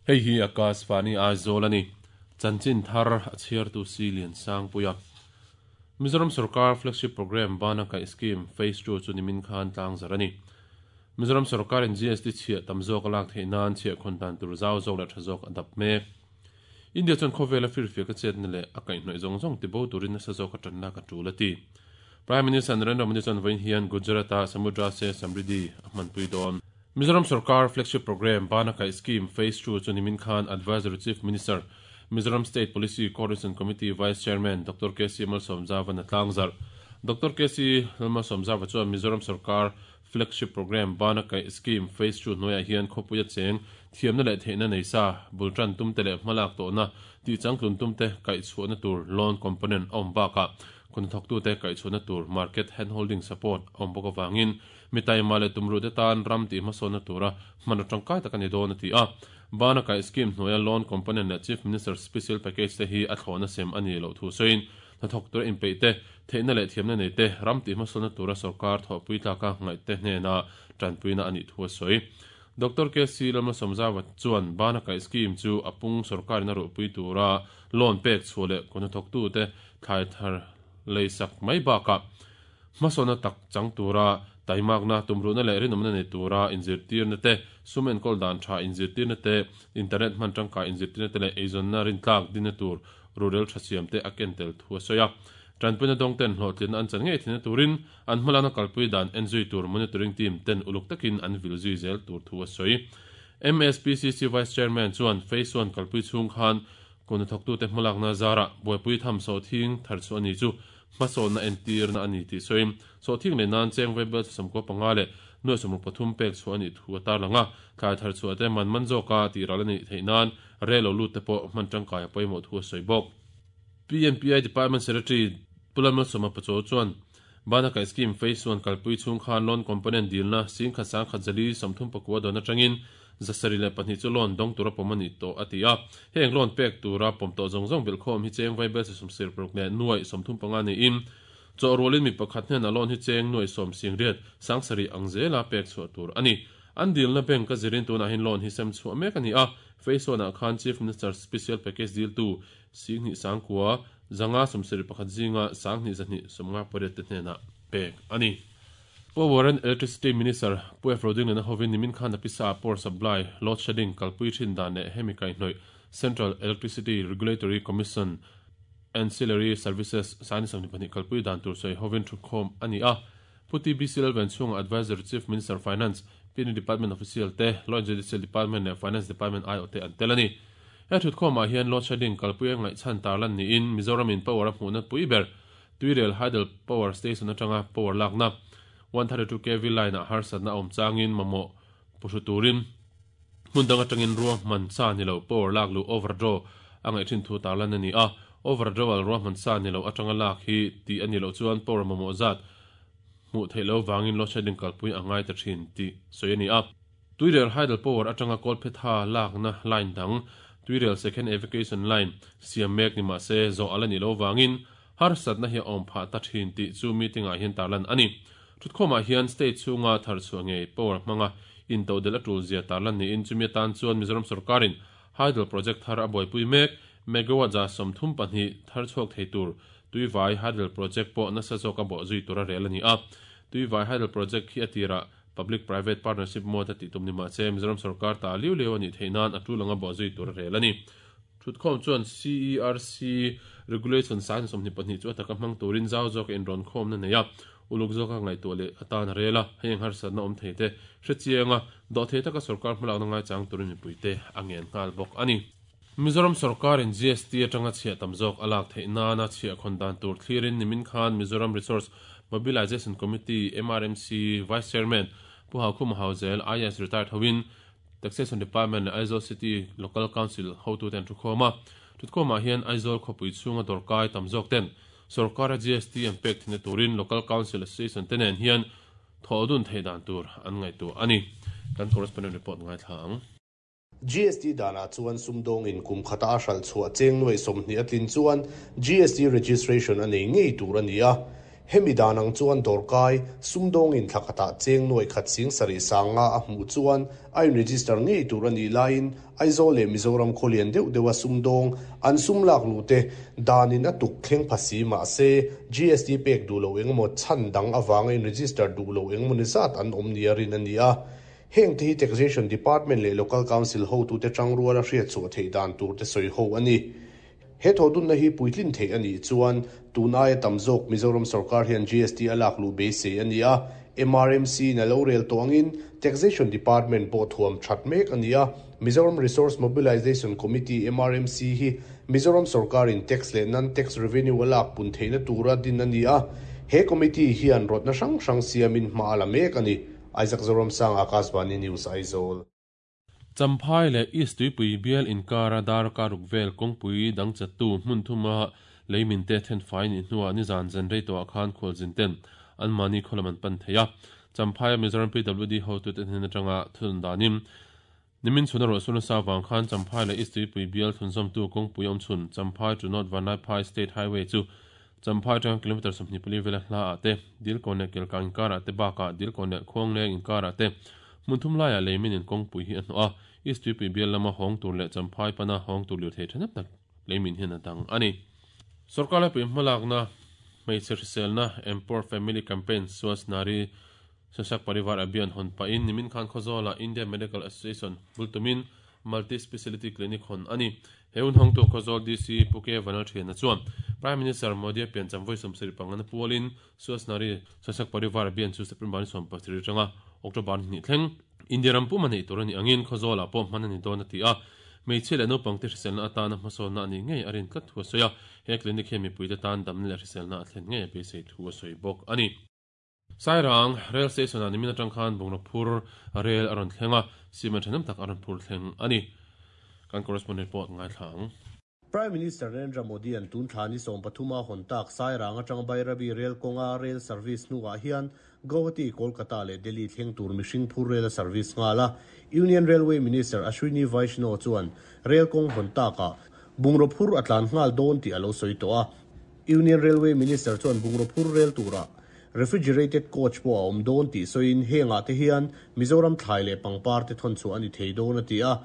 Hei hi Akashvani Aizawl a ni. Chanchin thar a chhiartu si Liansangpuia. Mizoram sorkar flagship programme Bana Kaih Scheme Phase ii chu nimin khan tlangzarh a ni. Mizoram sorkarin GST chhiah tam zawk a lak theih nan chhiah khawn dan tur zau zawk leh tha zawk a dap mek. India chuan khawvela firfiak a chetna leh a kaihhnawih zawng zawng tibo turin nasa zawk a tan lak a tul a ti. Prime Minister Narendra Modi chuan vawiin hian Gujarat-a Samudra Se Samriddhi a hmanpui dawn. Mizoram sorkar flagship programme Bana Kaih Scheme Phase ii chu nimin khan Advisory Chief Minister, Mizoram State Policy Coordination Committee Vice Chairman Doctor KC Malsawmzava'n a tlangzarh. Doctor KC Lalmalsawmzava chuan Mizoram sorkar flagship programme Bana Kaih Scheme Phase ii hnuaiah hian khawpuia cheng thiamna leh theihna nei sa, bul tan tumte leh hmalak tawhna tihchangtlun tumte kaihchhuahna tur loan component a awm bakah khawnthawktute kaihchhuahna tur market handholding support a awm bawk avangin Mi taima leh tumruhte tan ram tih hmasawnna tura hman atangkai tak a ni dawn a ti a. Bana Kaih Scheme hnuaia Loan Component leh Chief Minister Special Package te hi a thlawhna sem a ni loh thu sawiin, hnathawk tura inpeih te, theihna leh thiamna nei te, ram tih hmasawnna tura sorkar thawhpui tlaka ngaihte hnena tanpuina a nih thu a sawi. Doctor KC Lalmalsawmzava chuan Bana Kaih Scheme chu a pung sorkarin a ruhpui tura loan pek chhuah leh kawhnathawktute thlai thar leisak mai bakah Hmasawnna tak chang tura taimakna, tumruhna leh rinawmna nei tura inzirtirna te, sum enkawl dan tha inzirtirna te, internet hman tangkai inzirtirna te leh eizawnna rintlak dinna tur rurel tha siam te a ken tel thu a sawi a. Tanpuina dawngten hlawhtlinna an chan ngei theihna turin an hmalakna kalpui dan enzui tur monitoring team ten uluk takin an vil zui zel tur thu a sawi. MSPCC Vice Chairman chuan Phase One kalpui chhung khan kawhnathawktute hmalakna zarah buaipui tham sawhthing thar chhuah a ni chu Hmasawnna entirna a ni tih sawiin, sawhthing leh nan cheng vaibel chawsam 95 leh 63 pek chhuah a nih thu a tarlang a, thlai thar chhuah te man man zawka tih ral a nih theih nan rel lo lut te pawh hman tangkai a pawimawh thu a sawi bawk. PNPI Department Secretary Pu Lalmalsawma Pachaw chuan Bana Kaih Scheme Phase One kalpui chhung khan loan component dilna singkhat sangkhat zali 34 dawn atangin 702 chu loan dawng tura pawm a ni tawh a ti a. Heng loan pek tura pawm tawh zawng zawng belhkhawm hi cheng vaibel chi sawmsir paruk leh nuaih 35 niin chawh rualin mi pakhat hnenah loan hi cheng nuaih sawm singriat sangsarih ang zela pek chhuah tur a ni. An dilna bank a zirin tunah hian loan hi sem chhuah mek a ni a. Phase one ah khan Chief Minister Special Package diltu Singhnih sangkua zanga 71 zinga sanghnih zahnih 58 te hnenah pek a ni. Power and Electricity Minister Pu F. Rodingliana hovin nimin khan a pisa ah power supply load shedding kalpui thin dan leh hemi kaihhnawih Central Electricity Regulatory Commission Ancillary Services Science 22 kalpui dan tur sawi hovin thukhawm a ni a. Pu TBC Lalven chhunga Advisory Chief Minister Finance, PNU Department Official te, Law and Judicial Department leh Finance Department aiawhte an tel a ni. He thutkhawmah hian load shedding kalpui a ngaihchhan tarlan niin Mizoramin power a hmuhna pui ber Tuirel Hydel Power Station atanga power lakna 132 kv line ah harsatna a awm changin mamawh puhru turin hmun dang atangin ruahman sa ni lo power lak luh overdraw a ngaih thin thu tarlan a ni a. Overdrawal ruahman sa ni lo atanga lak hi tih a nih loh chuan power mamawh zat hmuh theih loh vangin load shedding kalpui a ngai ta thin tih sawi a ni a. Tuirel Hydel Power atanga kawlphetha lakna line dang Tuirel Second Evacuation Line siam mek ni mahse zawh a la nih loh vangin Harsatna hi a awm phah ta thin tih chu meeting ah hian tarlan a ni. Thutkhawmah hian state chhunga thar chhuah ngei power hmanga intodelh a tul zia tarlan niin chumi atan chuan Mizoram sorkarin Hydel project thar a buaipui mek megawatt 32 thar chhuak thei tur Tuivai Hydel project pawh nasa zawk a bawh zui tura rel a ni a. Tuivai Hydel project hi a tirah Public Private Partnership mode a tih tum ni mahse Mizoram sorkar ta liu liu a nih theih nan a tul anga bawh zui tur a rel a ni. Thutkhawm chuan CERC Regulation 22 chu a taka hmang turin zau zawka inrawnkhawmna nei a, uluk zawka ngaihtuah leh atan a rel a, hei ang harsatna awm thei te hre chiang a, dawhthei taka sorkar hmalakna ngaichang turin mipuite a ngen nghal bawk a ni. Mizoram sorkarin GST atanga chhiah tam zawk a lak theih nana chhiah khawn dan tur thlirin nimin khan Mizoram Resource Mobilisation Committee, MRMC, Vice Chairman Pu Haukhuma Hauzel, IAS Retired hoin Taxation Department leh Aizawl City Local Council hotute an thukhawm a. Thutkhawmah hian Aizawl khawpui chhunga dawrkai tam zawk ten sorkara GST an pek theihna turin Local Council Association te nen hian thawh dun theih dan tur an ngaihtuah a ni. Kan correspondent report ngaithla ang. GST danah chuan sumdawngin kum khata a hralh chhuah cheng nuaih 20 a tlin chuan GST registration a nei ngei tur a ni a. Hemi dan ang chuan dawrkai, sumdawngin thla khatah cheng nuai khat sing sarih sanga a hmuh chuan a in-register ngei tur a nih laiin Aizawl leh Mizoram khaw lian deuh deuha sumdawng an sum lak luh te danin a tuk thleng pha si mah se GST pek duh loh engemaw chhan dang avanga in-register duh loh engemaw ni zat an awm nia rin a ni a. Heng te hi Taxation Department leh Local Council hotute tangruala hriatchhuah theih dan tur te sawi ho a ni. He thawhdunna hi puitlin theih a nih chuan tun aia tam zawk Mizoram sorkar hian GST a lak luh beisei a ni a, MRMC in a lo rel tawh angin Taxation Department pawh thuam that mek a ni a, Mizoram Resource Mobilisation Committee, MRMC, hi Mizoram sorkarin tax leh non-tax revenue a lak pun theihna tura din a ni a, he committee hian rawtna hrang hrang siamin hma a la mek a ni. Isaac Zoramsang, Akashvani News, Aizawl. Champhai leh East Tuipui bial inkara darkar ruk vel kawngpui dang chattu hmun thuma lei minte thenfai nih hnuah nizan zan rei tawhah khan khualzin ten anmahni khaw lam an pan thei a. Champhaia Mizoram PWD hotute hnen atanga thunun danin nimin chhuna ruahsur nasa avang khan Champhai leh East Tuipui bial thunzawmtu kawngpui awm chhun Champhai to North Vanlaiphai State Highway chu Champhai atanga kilometre 24 vela hla ah te, Dilkawn leh Kelkang inkarah te bakah Dilkawn leh Khuangleng inkarah te hmun thum laiah lei min in kawngpui hi a hnawh a, East Tuipui bial lama hawng tur leh Champhai pana hawng tur lirthei thahnem tak lei min hian a dang a ni. Sorkar laipui hmalakna hmeichhe hriselna Empower Family Campaign Swasth Nari Sashakt Parivar Abhiyan hawn pahin nimin khan Khawzawlah India Medical Association bul tumin Multi Speciality Clinic hawn a ni. He hun hawngtu Khawzawl DC Pu K Vanlalthiana chuan Prime Minister Modi-a piancham vawi 75 na pualin Swasth Nari Sashakt Parivar Abhiyan chu September ni 17 atanga October ni hnih thleng India ram pum a neih tur a nih angin Khawzawlah pawh hman a ni dawn a ti a. Hmeichhia leh naupangte hriselna atana hmasawnna a nih ngei a rin tlat thu a sawi a. He clinic hian mipuite tan damna leh hriselna a thlen ngei a beisei thu a sawi bawk a ni. Sairang Rail Station ah nimin atang khan bungraw phur rel a rawn thleng a, cement thahnem tak a rawn phur thleng a ni. Kan correspondent pawh ngaithla ang. Prime Minister Narendra Modi-a'n tun thla ni 13 a hawn tak Sairang atang Bairabi rel kawnga rail service hnuah hian Guwahati, Kolkata leh Delhi thleng tur mihring phur rel a service nghal a. Union Railway Minister Ashwini Vaishnaw chuan rel kawng hawn takah bungraw phur a tlan nghal dawn tih a lo sawi tawh a. Union Railway Minister chuan bungraw phur rel turah refrigerated coach pawh a awm dawn tih sawiin hengah te hian Mizoram thlai leh pangpar te thawn chhuah a ni thei dawn a ti a.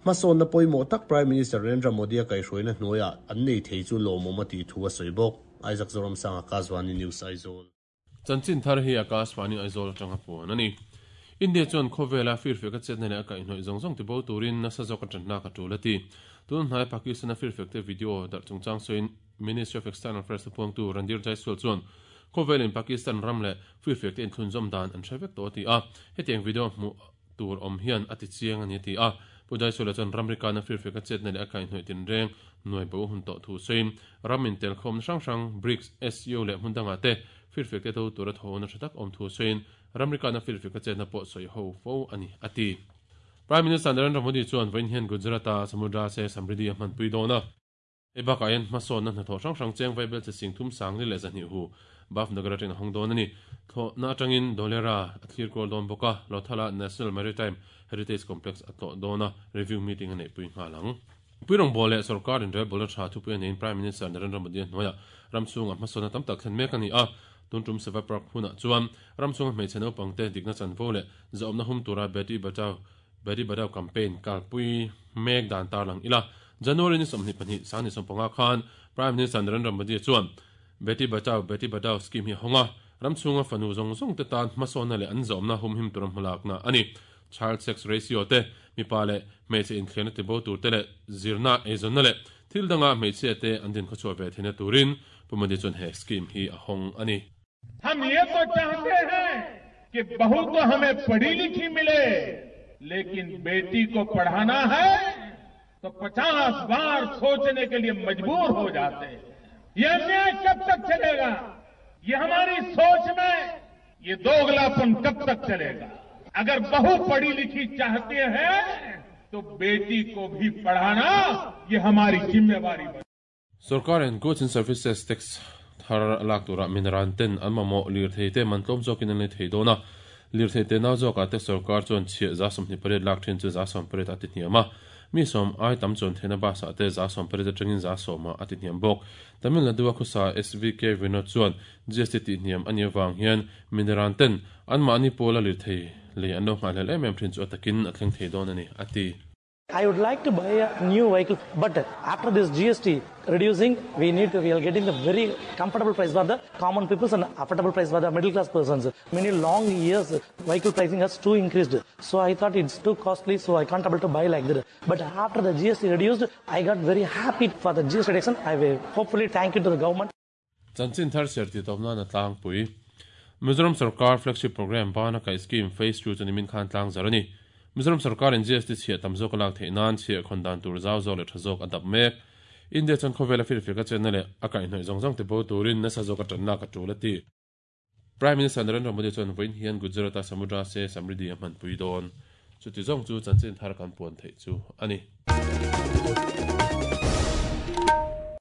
Hmasawnna pawimawh tak Prime Minister Narendra Modi-a kaihhruaina hnuaiah an nei thei chu lawmawm a tih thu a sawi bawk. Isaac Zoramsanga, Akashvani News, Aizawl. Chanchin thar hi Akashvani Aizawl atanga puan a ni. India chuan khawvela firfek a chetna leh a kaihhnawih zawng zawng tibo turin nasa zawk a tanlak a tul a ti. Tun hnai Pakistan-a firfek te video darh chungchang sawiin Ministry of External Affairs thupuangtu Randhir Jaiswal chuan khawvelin Pakistan ram leh firfek te inthlunzawm dan an hre vek tawh a ti a, hetiang video hmuh tur awm hian a ti chiang a ni a ti a. Pu Jaiswal-a chuan ramri kana firfek a chetna leh a kaihhnawih tinreng nuai bo hun tawh thu sawiin ram intelkhawmna hrang hrang BRICS, SCO leh hmun dangah te firfek te do tura thawhna tha tak awm thu sawiin ramri kana firfek a chetna pawh sawi ho fo a ni a ti. Prime Minister Narendra Modi chuan vawiin hian Gujarat-a Samudra se Samriddhi a hmanpui dawn a. Hei bakah hian hmasawnna hnathawh hrang hrang cheng vaibel che sing thum sang ni leh zahnih hu Bhavnagar atangin a hawng dawn a ni. Thlawhna atangin Dholera a thlir kual dawn bawk a, Lothala National Maritime Heritage Complex a tlawh dawn a, review meeting a neihpui nghal ang. Pui rawngbawl leh sorkar inrelbawlna tha thupui a neiin Prime Minister Narendra Modi-a hnuaiah ram chhungah hmasawnna tam tak thlen mek a ni a. Tun tum Seva Park hunah chuan ram chhunga hmeichhe naupangte dikna chanvo leh zahawmna hum tura Beti Bachao Beti Bachao campaign kalpui mek dan tarlang ila. January ni 22 2015 khan Prime Minister Narendra Modi chuan Beti Bachao Beti Padhao scheme hi a hawng a, ram chhunga fanu zawng zawng te tan hmasawnna leh an zawmna humhim tura hmalakna a ni. Child sex ratio te, mipa leh hmeichhe inthliarna tibo tur te leh zirna, eizawnna leh thil danga hmeichhia te an dinkhawchhuah ve theihna turin Pu Modi chuan he scheme hi a hawng a ni. Hum ye to chahte hain ki bahu to hame padhi likhi mile, lekin beti ko padhana hai to 50 baar sochne ke liye majboor ho jate hain. Ye anyay kab tak chalega? Ye hamari soch mein ye doglapan kab tak chalega? Agar bahu padhi likhi chahte hain to beti ko bhi padhana ye hamari zimmewari bane. Sorkar in Goods and Services Tax thar a lak turah mineral ten an mamawh lirthei te man tlawm zawkin an lei thei dawn a. Lirthei te nau zawkah te sorkar chuan chhiah 28 lak then chu 18 a ti hniam a. Mi sawm ai tam chuan theihna bus ah te 80% atangin 10% ah a ti hniam bawk. Tamil Nadu a khusa SVK Vinod chuan GST tih hniam a nih avang hian mineran ten anmahni pawla lirthei lei an lo nghahhlelh em em thin chu a takin a thleng thei dawn a ni, a ti. I would like to buy a new vehicle but after this GST reducing we need to, we are getting the very comfortable price for the common peoples and affordable price for the middle class persons. Many long years vehicle pricing has too increased. So I thought it's too costly so I can't able to buy like that. But after the GST reduced I got very happy for the GST reduction. I will hopefully thank you to the government. Chanchin thar ser ti tawp nan a tlangpui. Mizoram Sorkar Flagship Programme bana kaih Scheme Phase ii chu nimin khan tlang zar a ni. Mizoram Sorkar-in GST chhiah tam zawk a lak theih nan chhiah khawn dan tur zau zawk leh tha zawk a dap mek. India chuan khawvela firfir ka chenna leh a kaihhnawih zawng zawng ti bo turin nasa zawk a tanlak a tul a ti. Prime Minister Narendra Modi chuan vawiin hian Gujarat-a Samudra se Samriddhi a hmanpui dawn. Chuti zawng chu chanchin thar kan puan theih chu a ni.